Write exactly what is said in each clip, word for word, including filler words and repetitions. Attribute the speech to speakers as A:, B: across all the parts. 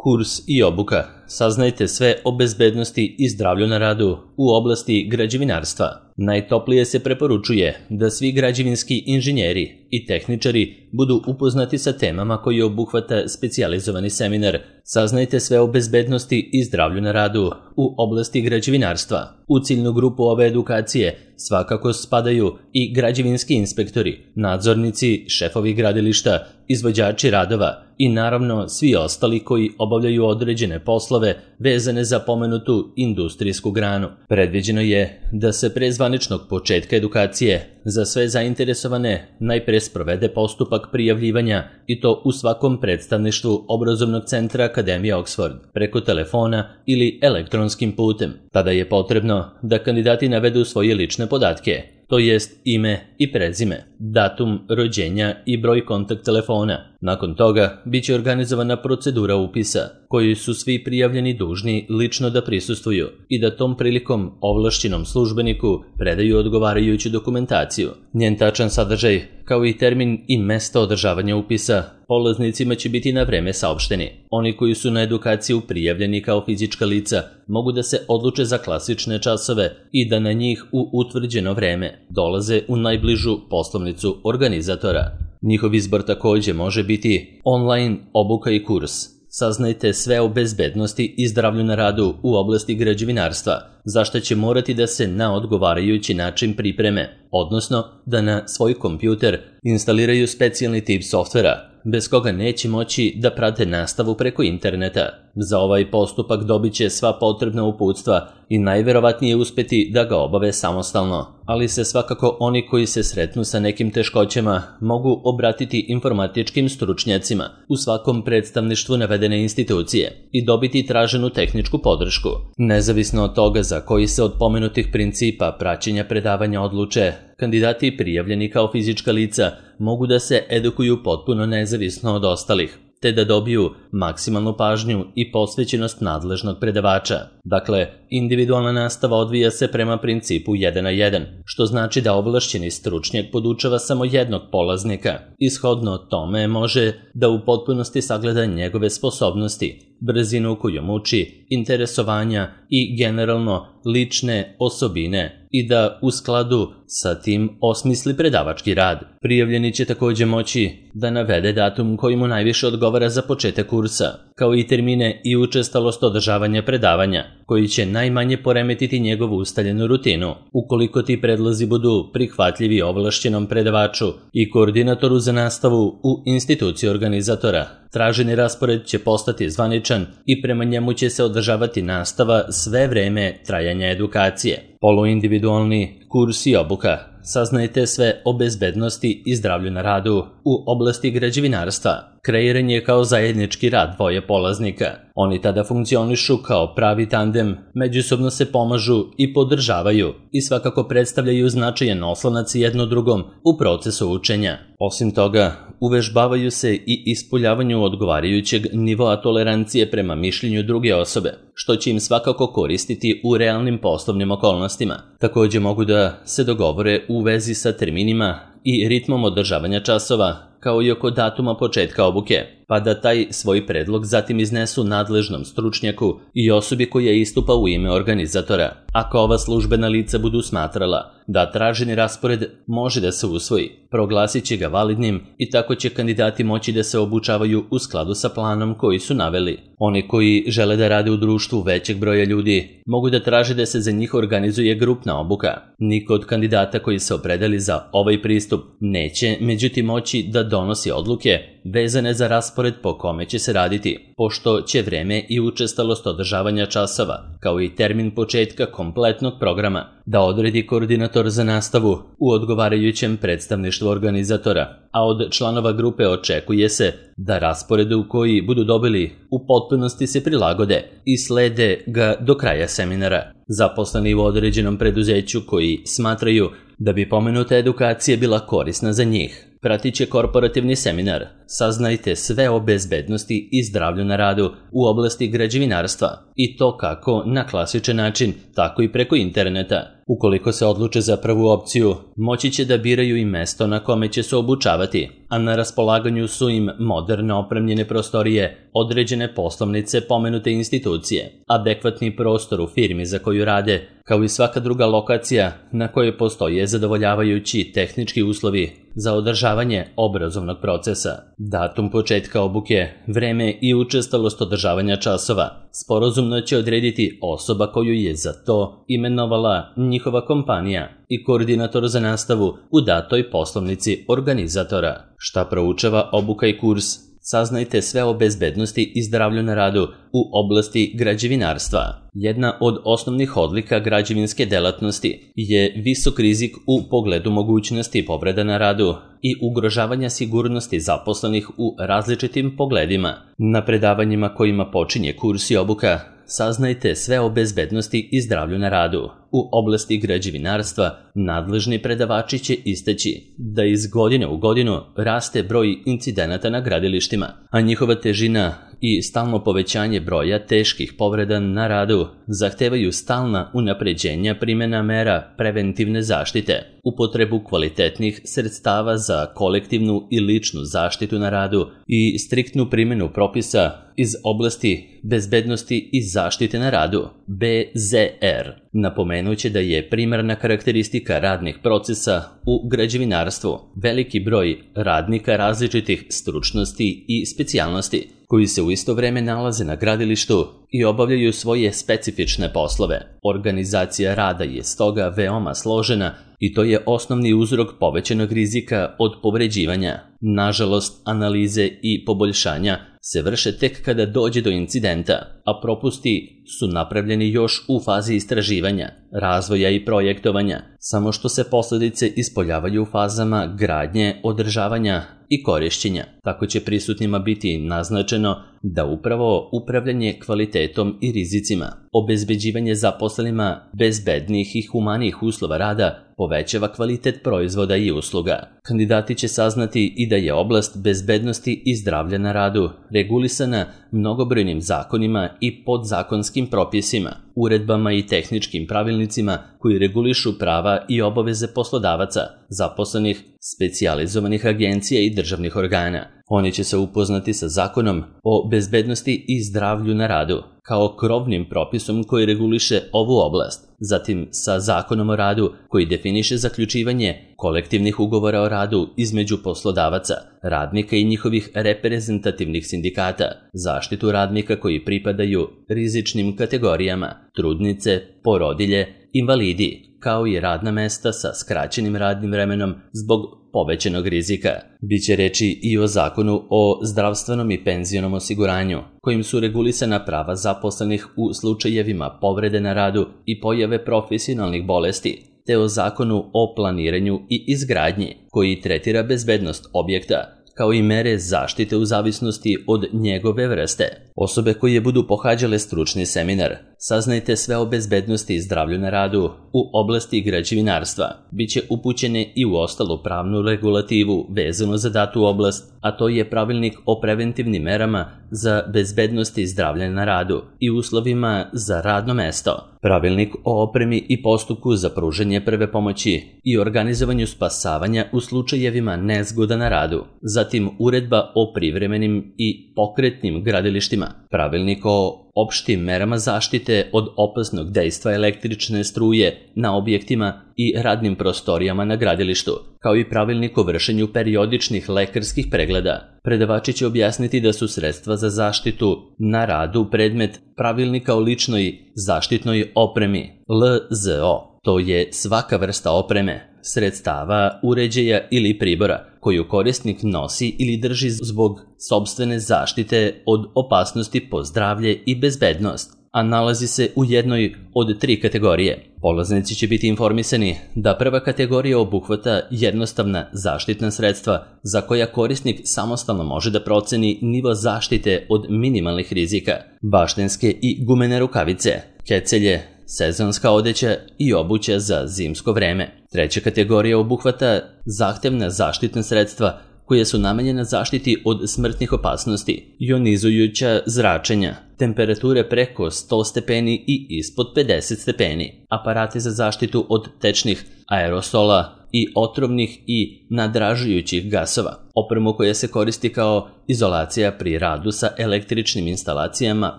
A: Kurs i obuka. Saznajte sve o bezbednosti i zdravlju na radu u oblasti građevinarstva. Najtoplije se preporučuje da svi građevinski inženjeri i tehničari budu upoznati sa temama koje obuhvata specijalizovani seminar. Saznajte sve o bezbednosti i zdravlju na radu u oblasti građevinarstva. U ciljnu grupu ove edukacije svakako spadaju i građevinski inspektori, nadzornici, šefovi gradilišta, izvođači radova i naravno svi ostali koji obavljaju određene poslove vezane za pomenutu industrijsku granu. Predviđeno je da se pre zvaničnog početka edukacije za sve zainteresovane najpre sprovede postupak prijavljivanja i to u svakom predstavništvu obrazovnog centra Akademije Oxford, preko telefona ili elektronskim putem. Tada je potrebno da kandidati navedu svoje lične podatke, to jest ime i prezime, datum rođenja i broj kontakt telefona. Nakon toga biće organizovana procedura upisa, koju su svi prijavljeni dužni lično da prisustvuju i da tom prilikom ovlašćenom službeniku predaju odgovarajuću dokumentaciju. Njen tačan sadržaj, kao i termin i mesto održavanja upisa, polaznicima će biti na vreme saopšteni. Oni koji su na edukaciju prijavljeni kao fizička lica mogu da se odluče za klasične časove i da na njih u utvrđeno vreme dolaze u najbližu poslovnicu organizatora. Njihov izbor takođe može biti online obuka i kurs. Saznajte sve o bezbednosti i zdravlju na radu u oblasti građevinarstva, za što će morati da se na odgovarajući način pripreme, odnosno da na svoj kompjuter instaliraju specijalni tip softvera, bez koga neće moći da prate nastavu preko interneta. Za ovaj postupak dobit će sva potrebna uputstva i najverovatnije uspeti da ga obave samostalno, ali se svakako oni koji se sretnu sa nekim teškoćama mogu obratiti informatičkim stručnjacima u svakom predstavništvu navedene institucije i dobiti traženu tehničku podršku. Nezavisno od toga za koji se od pomenutih principa praćenja predavanja odluče, kandidati prijavljeni kao fizička lica mogu da se edukuju potpuno nezavisno od ostalih, te da dobiju maksimalnu pažnju i posvećenost nadležnog predavača. Dakle, individualna nastava odvija se prema principu jedan na jedan, što znači da ovlašćeni stručnjak podučava samo jednog polaznika. Ishodno tome može da u potpunosti sagleda njegove sposobnosti, brzinu kojom uči, interesovanja i generalno lične osobine i da u skladu sa tim osmisli predavački rad. Prijavljeni će takođe moći da navede datum koji mu najviše odgovara za početak kursa, kao i termine i učestalost održavanja predavanja, koji će najmanje poremetiti njegovu ustaljenu rutinu. Ukoliko ti predlozi budu prihvatljivi ovlašćenom predavaču i koordinatoru za nastavu u instituciji organizatora, traženi raspored će postati zvaničan i prema njemu će se održavati nastava sve vreme trajanja edukacije. Poluindividualni kurs i obuka. Saznajte sve o bezbednosti i zdravlju na radu u oblasti građevinarstva. Kreiran je kao zajednički rad dvoje polaznika. Oni tada funkcionišu kao pravi tandem, međusobno se pomažu i podržavaju i svakako predstavljaju značajan oslonac jedno drugom u procesu učenja. Osim toga, uvežbavaju se i ispoljavanju odgovarajućeg nivoa tolerancije prema mišljenju druge osobe, što će im svakako koristiti u realnim poslovnim okolnostima. Takođe mogu da se dogovore u vezi sa terminima i ritmom održavanja časova, kao i oko datuma početka obuke, pa da taj svoj predlog zatim iznesu nadležnom stručnjaku i osobi koja istupa u ime organizatora. Ako ova službena lica budu smatrala da traženi raspored može da se usvoji, proglasit će ga validnim i tako će kandidati moći da se obučavaju u skladu sa planom koji su naveli. Oni koji žele da rade u društvu većeg broja ljudi mogu da traže da se za njih organizuje grupna obuka. Niko od kandidata koji se opredeli za ovaj pristup neće međutim moći da donosi odluke vezane za raspored po kome će se raditi, pošto će vreme i učestalost održavanja časova, kao i termin početka kompletnog programa, da odredi koordinator za nastavu u odgovarajućem predstavništvu organizatora, a od članova grupe očekuje se da rasporedu koji budu dobili u potpunosti se prilagode i slede ga do kraja seminara. Zaposleni u određenom preduzeću koji smatraju da bi pomenuta edukacija bila korisna za njih, pratit će korporativni seminar saznajte sve o bezbednosti i zdravlju na radu u oblasti građevinarstva i to kako na klasičan način, tako i preko interneta. Ukoliko se odluče za prvu opciju, moći će da biraju i mesto na kome će se obučavati, a na raspolaganju su im moderno opremljene prostorije, određene poslovnice pomenute institucije, adekvatni prostor u firmi za koju rade, kao i svaka druga lokacija na kojoj postoje zadovoljavajući tehnički uslovi za održavanje obrazovnog procesa. Datum početka obuke, vreme i učestalost održavanja časova sporazumno će odrediti osoba koju je za to imenovala njihova kompanija i koordinator za nastavu u datoj poslovnici organizatora. Šta proučava obuka i kurs? Saznajte sve o bezbednosti i zdravlju na radu u oblasti građevinarstva. Jedna od osnovnih odlika građevinske delatnosti je visok rizik u pogledu mogućnosti povreda na radu i ugrožavanja sigurnosti zaposlenih u različitim pogledima. Na predavanjima kojima počinje kurs i obuka, saznajte sve o bezbednosti i zdravlju na radu. U oblasti građevinarstva nadležni predavači će istaći da iz godine u godinu raste broj incidenata na gradilištima, a njihova težina i stalno povećanje broja teških povreda na radu zahtevaju stalna unapređenja primjena mera preventivne zaštite, upotrebu kvalitetnih sredstava za kolektivnu i ličnu zaštitu na radu i striktnu primjenu propisa iz oblasti bezbednosti i zaštite na radu, B Z R. Napomenuće da je primarna karakteristika radnih procesa u građevinarstvu veliki broj radnika različitih stručnosti i specijalnosti, koji se u isto vreme nalaze na gradilištu i obavljaju svoje specifične poslove. Organizacija rada je stoga veoma složena i to je osnovni uzrok povećanog rizika od povređivanja. Nažalost, analize i poboljšanja se vrše tek kada dođe do incidenta, a propusti su napravljeni još u fazi istraživanja, razvoja i projektovanja, samo što se posljedice ispoljavaju u fazama gradnje, održavanja i korišćenja. Tako će prisutnima biti naznačeno da upravo upravljanje kvalitetom i rizicima, obezbeđivanje zaposlenima bezbednih i humanijih uslova rada povećava kvalitet proizvoda i usluga. Kandidati će saznati i da je oblast bezbednosti i zdravlja na radu regulisana mnogobrojnim zakonima i podzakonskim propisima, uredbama i tehničkim pravilnicima koji regulišu prava i obaveze poslodavaca, zaposlenih, specijalizovanih agencija i državnih organa. Oni će se upoznati sa zakonom o bezbednosti i zdravlju na radu, kao krovnim propisom koji reguliše ovu oblast, zatim sa zakonom o radu koji definiše zaključivanje kolektivnih ugovora o radu između poslodavaca, radnika i njihovih reprezentativnih sindikata, zaštitu radnika koji pripadaju rizičnim kategorijama, trudnice, porodilje, invalidi, kao i radna mesta sa skraćenim radnim vremenom zbog povećanog rizika. Biće reči i o zakonu o zdravstvenom i penzionom osiguranju, kojim su regulisana prava zaposlenih u slučajevima povrede na radu i pojave profesionalnih bolesti, te o zakonu o planiranju i izgradnji, koji tretira bezbednost objekta, kao i mere zaštite u zavisnosti od njegove vrste. Osobe koje budu pohađale stručni seminar, saznajte sve o bezbednosti i zdravlju na radu u oblasti građevinarstva, biće upućene i u ostalu pravnu regulativu vezano za datu oblast, a to je pravilnik o preventivnim merama za bezbednost i zdravlje na radu i uslovima za radno mesto, pravilnik o opremi i postupku za pružanje prve pomoći i organizovanju spasavanja u slučajevima nezgoda na radu, zatim uredba o privremenim i pokretnim gradilištima, pravilnik o opštim merama zaštite od opasnog dejstva električne struje na objektima i radnim prostorijama na gradilištu, kao i pravilnik o vršenju periodičnih lekarskih pregleda. Predavači će objasniti da su sredstva za zaštitu na radu predmet pravilnika o ličnoj zaštitnoj opremi, L Z O. To je svaka vrsta opreme, sredstava, uređaja ili pribora koju korisnik nosi ili drži zbog sopstvene zaštite od opasnosti po zdravlje i bezbednost, a nalazi se u jednoj od tri kategorije. Polaznici će biti informisani da prva kategorija obuhvata jednostavna zaštitna sredstva za koja korisnik samostalno može da proceni nivo zaštite od minimalnih rizika, baštenske i gumene rukavice, kecelje, sezonska odeća i obuća za zimsko vreme. Treća kategorija obuhvata zahtevna zaštitna sredstva koje su namenjene zaštiti od smrtnih opasnosti, ionizujuća zračenja, temperature preko sto stepeni i ispod pedeset stepeni, aparati za zaštitu od tečnih aerosola i otrovnih i nadražujućih gasova, opremu koja se koristi kao izolacija pri radu sa električnim instalacijama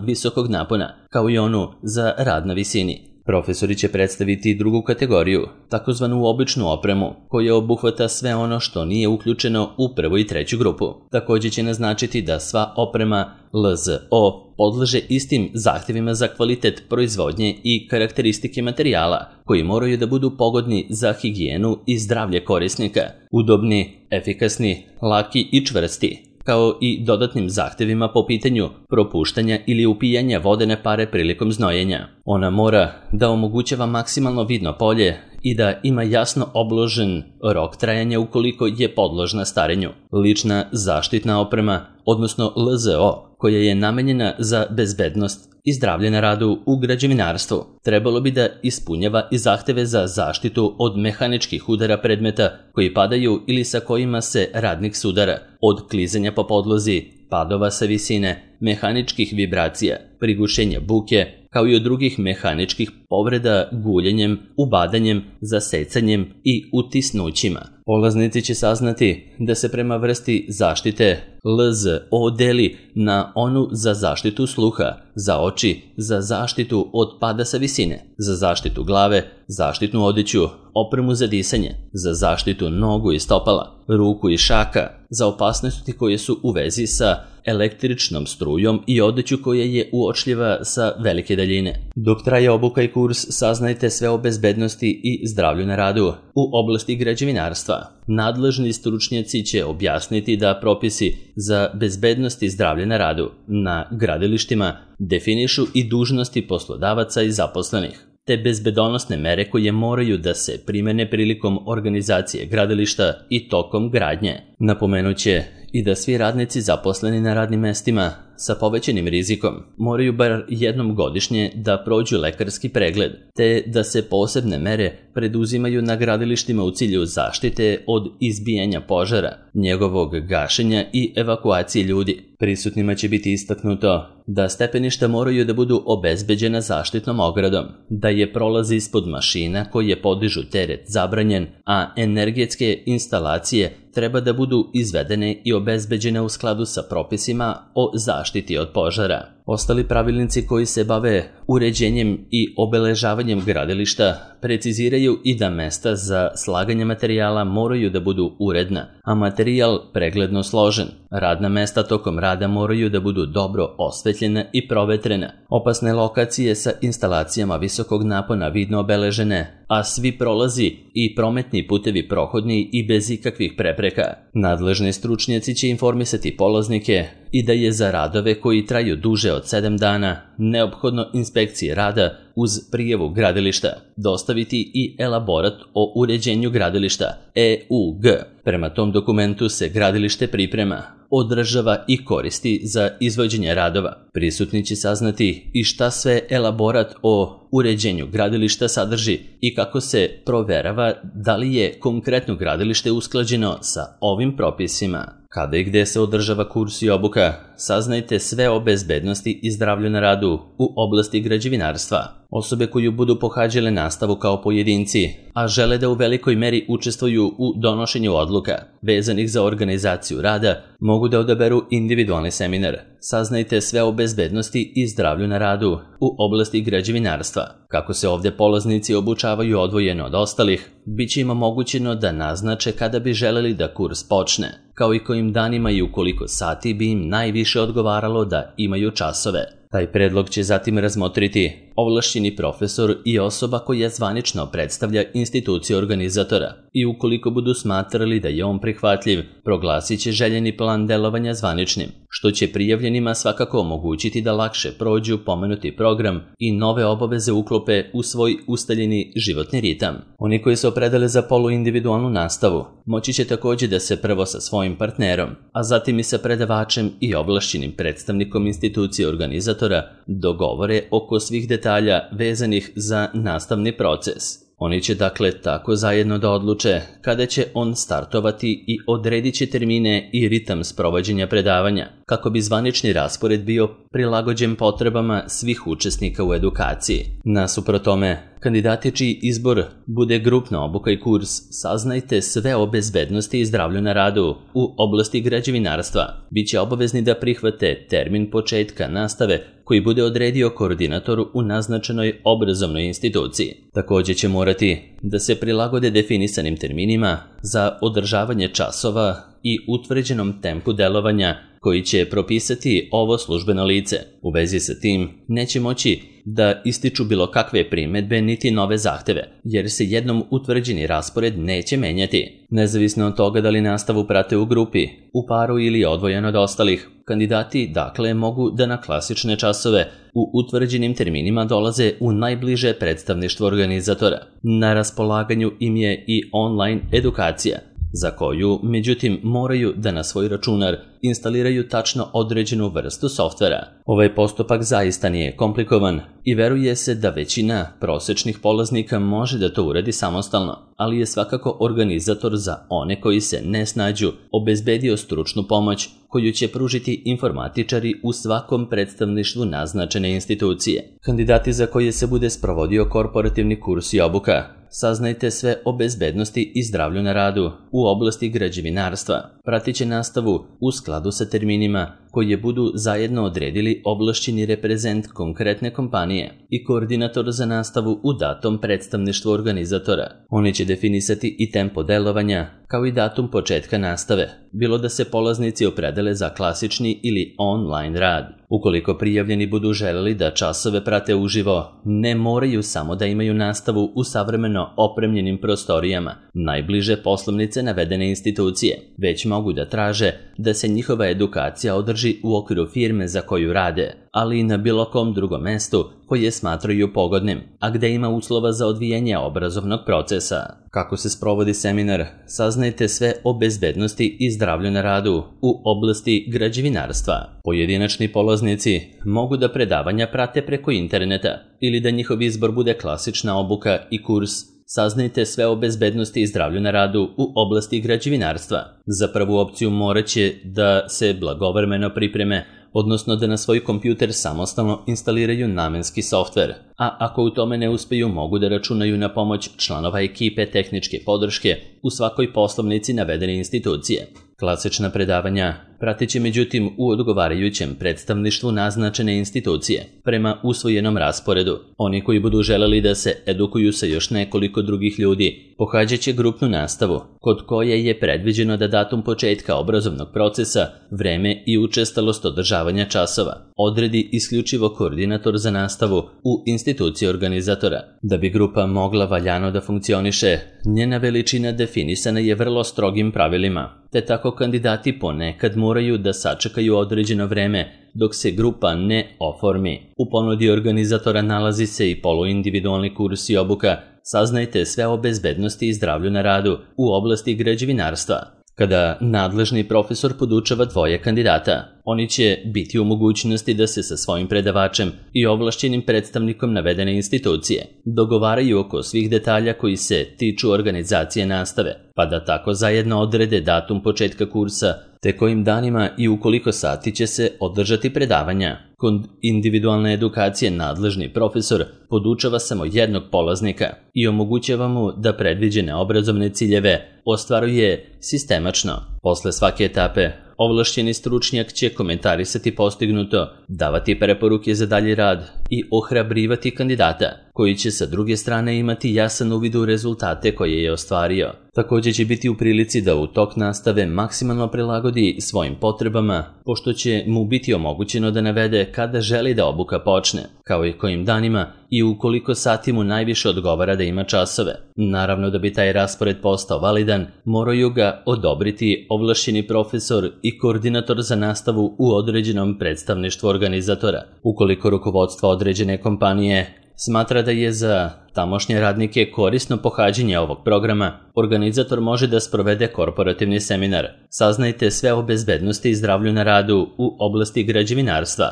A: visokog napona, kao i onu za rad na visini. Profesori će predstaviti drugu kategoriju, takozvanu običnu opremu, koja obuhvata sve ono što nije uključeno u prvu i treću grupu. Također će naznačiti da sva oprema L Z O podleže istim zahtjevima za kvalitet proizvodnje i karakteristike materijala, koji moraju da budu pogodni za higijenu i zdravlje korisnika, udobni, efikasni, laki i čvrsti, kao i dodatnim zahtjevima po pitanju propuštanja ili upijanja vodene pare prilikom znojenja. Ona mora da omogućava maksimalno vidno polje i da ima jasno obložen rok trajanja ukoliko je podložna starenju. Lična zaštitna oprema, odnosno L Z O, koja je namenjena za bezbednost i zdravlje na radu u građevinarstvu, trebalo bi da ispunjava i zahteve za zaštitu od mehaničkih udara predmeta koji padaju ili sa kojima se radnik sudara, od klizanja po podlozi, padova sa visine, mehaničkih vibracija, prigušenja buke, kao i od drugih mehaničkih povreda guljenjem, ubadanjem, zasecanjem i utisnućima. Polaznici će saznati da se prema vrsti zaštite L Z O deli na onu za zaštitu sluha, za oči, za zaštitu od pada sa visine, za zaštitu glave, zaštitnu odeću, opremu za disanje, za zaštitu nogu i stopala, ruku i šaka, za opasnosti koje su u vezi sa električnom strujom i odeću koja je uočljiva sa velike daljine. Dok traje obuka i kurs, saznajte sve o bezbednosti i zdravlju na radu u oblasti građevinarstva. Nadležni stručnjaci će objasniti da propisi za bezbednost i zdravlje na radu na gradilištima definišu i dužnosti poslodavaca i zaposlenih, te bezbedonosne mere koje moraju da se primene prilikom organizacije gradilišta i tokom gradnje. Napomenuće i da svi radnici zaposleni na radnim mestima sa povećanim rizikom moraju bar jednom godišnje da prođu lekarski pregled, te da se posebne mere preduzimaju na gradilištima u cilju zaštite od izbijanja požara, njegovog gašenja i evakuacije ljudi. Prisutnima će biti istaknuto da stepeništa moraju da budu obezbeđena zaštitnom ogradom, da je prolaz ispod mašina koje podižu teret zabranjen, a energetske instalacije treba da budu izvedene i obezbeđene u skladu sa propisima o zaštiti od požara. Ostali pravilnici koji se bave uređenjem i obeležavanjem gradilišta preciziraju i da mesta za slaganje materijala moraju da budu uredna, a materijal pregledno složen. Radna mesta tokom rada moraju da budu dobro osvetljena i provetrena. Opasne lokacije sa instalacijama visokog napona vidno obeležene, a svi prolazi i prometni putevi prohodni i bez ikakvih prepreka. Nadležni stručnjaci će informisati polaznike i da je za radove koji traju duže od sedam dana neophodno inspekcije rada uz prijavu gradilišta dostaviti i elaborat o uređenju gradilišta E U G. Prema tom dokumentu se gradilište priprema, održava i koristi za izvođenje radova. Prisutni će saznati i šta sve elaborat o uređenju gradilišta sadrži i kako se proverava da li je konkretno gradilište usklađeno sa ovim propisima. Kada i gde se održava kurs i obuka, saznajte sve o bezbednosti i zdravlju na radu u oblasti građevinarstva. Osobe koju budu pohađale nastavu kao pojedinci, a žele da u velikoj meri učestvuju u donošenju odluka vezanih za organizaciju rada, mogu da odaberu individualni seminar. Saznajte sve o bezbednosti i zdravlju na radu u oblasti građevinarstva. Kako se ovdje polaznici obučavaju odvojeno od ostalih, bit će im omogućeno da naznače kada bi želeli da kurs počne, kao i kojim danima i u koliko sati bi im najviše odgovaralo da imaju časove. Taj predlog će zatim razmotriti ovlašćeni profesor i osoba koja zvanično predstavlja instituciju organizatora i ukoliko budu smatrali da je on prihvatljiv, proglasit će željeni plan delovanja zvaničnim, što će prijavljenima svakako omogućiti da lakše prođu pomenuti program i nove obaveze uklope u svoj ustaljeni životni ritam. Oni koji se opredele za poluindividualnu nastavu moći će također da se prvo sa svojim partnerom, a zatim i sa predavačem i ovlašćenim predstavnikom institucije organizatora dogovore oko svih detalja vezanih za nastavni proces. Oni će dakle tako zajedno da odluče kada će on startovati i odredit će termine i ritam sprovođenja predavanja, kako bi zvanični raspored bio prilagođen potrebama svih učesnika u edukaciji. Nasuprot tome, kandidati čiji izbor bude grupna obuka i kurs, saznajte sve o bezbednosti i zdravlju na radu u oblasti građevinarstva. Biće obavezni da prihvate termin početka nastave koji bude odredio koordinator u naznačenoj obrazovnoj instituciji. Također će morati da se prilagode definisanim terminima za održavanje časova i utvrđenom tempu delovanja koji će propisati ovo službeno lice. U vezi sa tim neće moći da ističu bilo kakve primedbe niti nove zahteve, jer se jednom utvrđeni raspored neće menjati. Nezavisno od toga da li nastavu prate u grupi, u paru ili odvojeno od ostalih, kandidati dakle mogu da na klasične časove u utvrđenim terminima dolaze u najbliže predstavništvo organizatora. Na raspolaganju im je i online edukacija, za koju, međutim, moraju da na svoj računar instaliraju tačno određenu vrstu softvera. Ovaj postupak zaista nije komplikovan i veruje se da većina prosečnih polaznika može da to uradi samostalno, ali je svakako organizator za one koji se ne snađu obezbedio stručnu pomoć koju će pružiti informatičari u svakom predstavništvu naznačene institucije. Kandidati za koje se bude sprovodio korporativni kurs i obuka, saznajte sve o bezbednosti i zdravlju na radu u oblasti građevinarstva. Pratit će nastavu u skladu sa terminima koje budu zajedno odredili ovlašćeni reprezent konkretne kompanije i koordinator za nastavu u datom predstavništvu organizatora. Oni će definisati i tempo delovanja, kao i datum početka nastave, bilo da se polaznici opredele za klasični ili online rad. Ukoliko prijavljeni budu želeli da časove prate uživo, ne moraju samo da imaju nastavu u savremeno opremljenim prostorijama, najbliže poslovnice navedene institucije, već mogu da traže da se njihova edukacija održi u okviru firme za koju rade, ali i na bilo kom drugom mestu koje smatraju pogodnim, a gde ima uslova za odvijanje obrazovnog procesa. Kako se sprovodi seminar, saznajte sve o bezbednosti i zdravlju na radu u oblasti građevinarstva. Pojedinačni polaznici mogu da predavanja prate preko interneta ili da njihov izbor bude klasična obuka i kurs. Saznajte sve o bezbednosti i zdravlju na radu u oblasti građevinarstva. Za prvu opciju morat će da se blagovremeno pripreme, odnosno da na svoj kompjuter samostalno instaliraju namenski softver, a ako u tome ne uspeju mogu da računaju na pomoć članova ekipe tehničke podrške u svakoj poslovnici navedene institucije. Klasična predavanja pratit će međutim u odgovarajućem predstavništvu naznačene institucije, prema usvojenom rasporedu. Oni koji budu želeli da se edukuju sa još nekoliko drugih ljudi, pohađat će grupnu nastavu, kod koje je predviđeno da datum početka obrazovnog procesa, vreme i učestalost održavanja časova odredi isključivo koordinator za nastavu u instituciji organizatora. Da bi grupa mogla valjano da funkcioniše, njena veličina definisana je vrlo strogim pravilima, te tako kandidati ponekad moraju da sačekaju određeno vreme dok se grupa ne oformi. U ponudi organizatora nalazi se i poluindividualni kurs i obuka. Saznajte sve o bezbednosti i zdravlju na radu u oblasti građevinarstva. Kada nadležni profesor podučava dvoje kandidata, oni će biti u mogućnosti da se sa svojim predavačem i ovlašćenim predstavnikom navedene institucije dogovaraju oko svih detalja koji se tiču organizacije nastave, pa da tako zajedno odrede datum početka kursa, te kojim danima i u koliko sati će se održati predavanja. Kod individualne edukacije nadležni profesor podučava samo jednog polaznika i omogućava mu da predviđene obrazovne ciljeve ostvaruje sistemačno. Posle svake etape, ovlašćeni stručnjak će komentarisati postignuto, davati preporuke za dalji rad i ohrabrivati kandidata, koji će sa druge strane imati jasan uvid u rezultate koje je ostvario. Također će biti u prilici da u tok nastave maksimalno prilagodi svojim potrebama, pošto će mu biti omogućeno da navede kada želi da obuka počne, kao i kojim danima i u koliko sati mu najviše odgovara da ima časove. Naravno, da bi taj raspored postao validan, moraju ga odobriti ovlašćeni profesor i koordinator za nastavu u određenom predstavništvu organizatora. Ukoliko rukovodstvo određene kompanije smatra da je za tamošnje radnike korisno pohađanje ovog programa, organizator može da sprovede korporativni seminar. Saznajte sve o bezbednosti i zdravlju na radu u oblasti građevinarstva.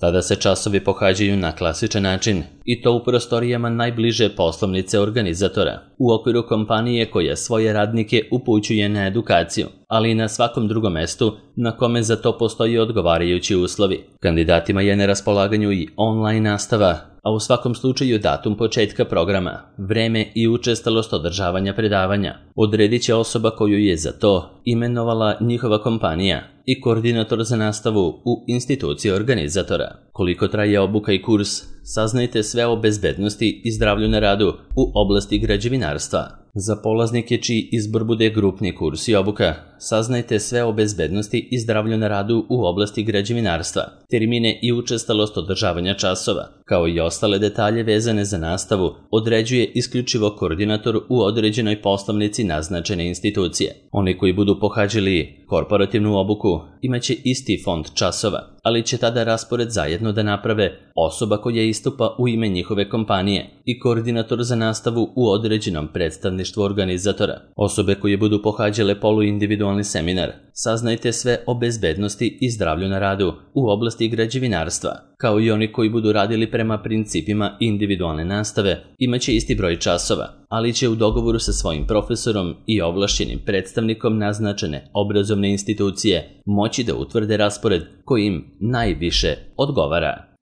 A: Tada se časovi pohađaju na klasičan način i to u prostorijama najbliže poslovnice organizatora, u okviru kompanije koja svoje radnike upućuje na edukaciju, ali i na svakom drugom mestu na kome za to postoji odgovarajući uslovi. Kandidatima je na raspolaganju i online nastava, a u svakom slučaju datum početka programa, vreme i učestalost održavanja predavanja odredit će osoba koju je za to imenovala njihova kompanija i koordinator za nastavu u instituciji organizatora. Koliko traje obuka i kurs, saznajte sve o bezbednosti i zdravlju na radu u oblasti građevinarstva. Za polaznike čiji izbor bude grupni kurs i obuka, saznajte sve o bezbednosti i zdravlju na radu u oblasti građevinarstva, termine i učestalost održavanja časova, kao i ostale detalje vezane za nastavu, određuje isključivo koordinator u određenoj poslovnici naznačene institucije. Oni koji budu pohađali korporativnu obuku imaće isti fond časova, ali će tada raspored zajedno da naprave osoba koja istupa u ime njihove kompanije i koordinator za nastavu u određenom predstavništvu organizatora. Osobe koje budu pohađale poluindividualni seminar, saznajte sve o bezbednosti i zdravlju na radu u oblasti građevinarstva, kao i oni koji budu radili prema principima individualne nastave, imaće isti broj časova, ali će u dogovoru sa svojim profesorom i ovlašćenim predstavnikom naznačene obrazovne institucije moći da utvrde raspored koji im najviše odgovara.